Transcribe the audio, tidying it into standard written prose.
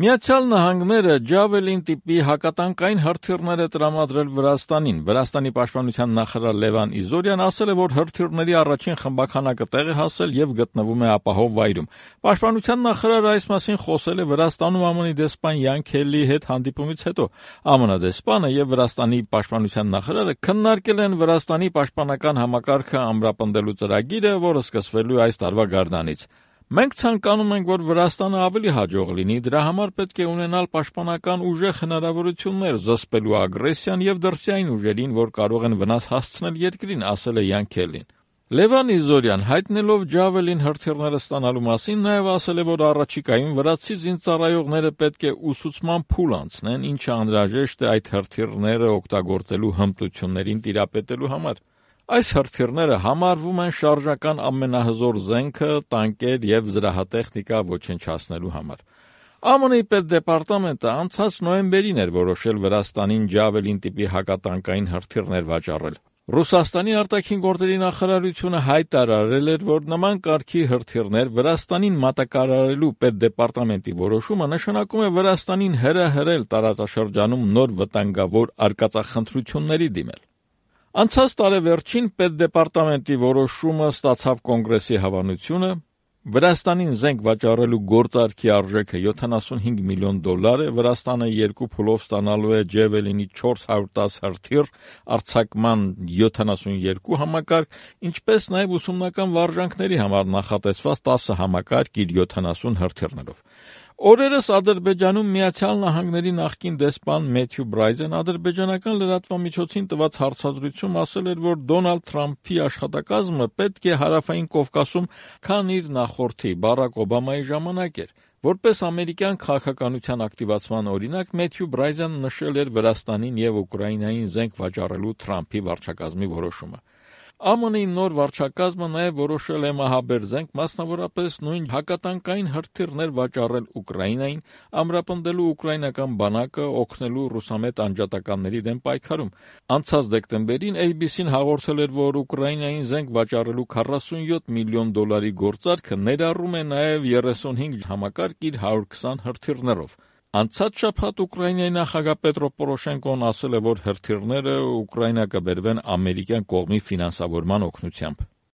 Միացյալ Նահանգները Ջավելին տիպի հակատանկային հրթիռներ է տրամադրել Վրաստանին։ Վրաստանի պաշտպանության նախարար Լևան Իզորյան ասել է, որ հրթիռների առաջին խմբաքանակը տեղ է հասել եւ գտնվում է ապահով վայրում։ Պաշտպանության նախարարը այս մասին խոսել է Վրաստանում ԱՄՆ-ի դեսպան Յան Քելլիի հետ հանդիպումից հետո։ ԱՄՆ դեսպանը եւ Վրաստանի պաշտպանության նախարարը քննարկել են Վրաստանի պաշտպանական համակարգը ամրապնդելու ծրագիրը, որը սկսվելու է այս տարվա գարնանից։ Մենք ցանկանում ենք, որ Վրաստանը ավելի հաջող լինի, դրա համար պետք է ունենալ պաշտպանական ուժեղ հնարավորություններ զսպելու ագրեսիան եւ դրսյային ուժերին, որ կարող են վնաս հասցնել երկրին, ասել է Յան Քելլին։ Լևան Իզորյան հայտնելով Ջավելին հրթիռները ստանալու մասին նաեւ ասել է, որ առաջիկայում վրացի զինծառայողները պետք է ուսուցման փուլ անցնեն, ինչը անհրաժեշտ է այդ հրթիռները օգտագործելու հմտություններին տիրապետելու համար։ Այս հրթիռները համարվում են շարժական ամենահզոր զենքը տանկեր եւ զրահատեխնիկա ոչնչացնելու համար։ ԱՄՆ-ի պետդեպարտամենտը անցած նոյեմբերին էր որոշել Վրաստանին Ջավելին տիպի հակատանկային հրթիռներ վաճառել։ Ռուսաստանի արտաքին գործերի նախարարությունը հայտարարել էր, որ նման կարգի հրթիռներ Վրաստանին մատակարարելու պետդեպարտամենտի որոշումը նշանակում է Վրաստանին հրահրել տարածաշրջանում նոր վտանգավոր արկածախնդրությունների դիմել։ Անցած տարեվերջին պետդեպարտամենտի որոշումը ստացավ կոնգրեսի հավանությունը, Վրաստանին զենք վաճառելու գործարքի արժեքը $75 միլիոն է, Վրաստանը 2 փուլով ստանալու է Ջավելինի 410 հրթիռ, արձակման 72 համակարգ, ինչպես նաև ուսումնական վարժանքների համար նախատեսված 10 համակարգ իր 70 հրթիռներով։ Օրերս Ադրբեջանում Միացյալ Նահանգների նախկին դեսպան Մեթյու Բրայդեն ադրբեջանական լրատվամիջոցին տված հարցազրույցում ասել էր, որ Դոնալդ Թրամփի աշխատակազմը պետք է Հարավային Կովկասում, քան իր նախորդի Բարակ Օբամայի ժամանակ էր։ Որպես ամերիկյան քաղաքականության ակտիվացման օրինակ Մեթյու Բրայդեն նշել էր Վրաստանին եւ Ուկրաինային զենք վաճառելու Թրամփի վարչակազմի որոշումը։ ԱՄՆ-ի նոր վարչակազմը նաև որոշել է մահաբեր զենք, մասնավորապես նույն հակատանկային հրթիռներ վաճառել Ուկրաինային, ամրապնդելու ուկրաինական բանակը, օգնելու ռուսամետ անջատականների դեմ պայքարում։ Անցած դեկտեմբերին ABC-ն հաղորդել էր, որ Ուկրաինային զենք վաճառելու $47 միլիոն գործարքը ներառում է նաև 35 համակարգ իր 120 հրթիռներով։ Անցած շաբաթ Ուկրաինայի նախագահ Պետրո Պորոշենկոն ասել է, որ հրթիռները Ուկրաինա կբերվեն ամերիկյան կողմի ֆինանսավորման օգնությամբ։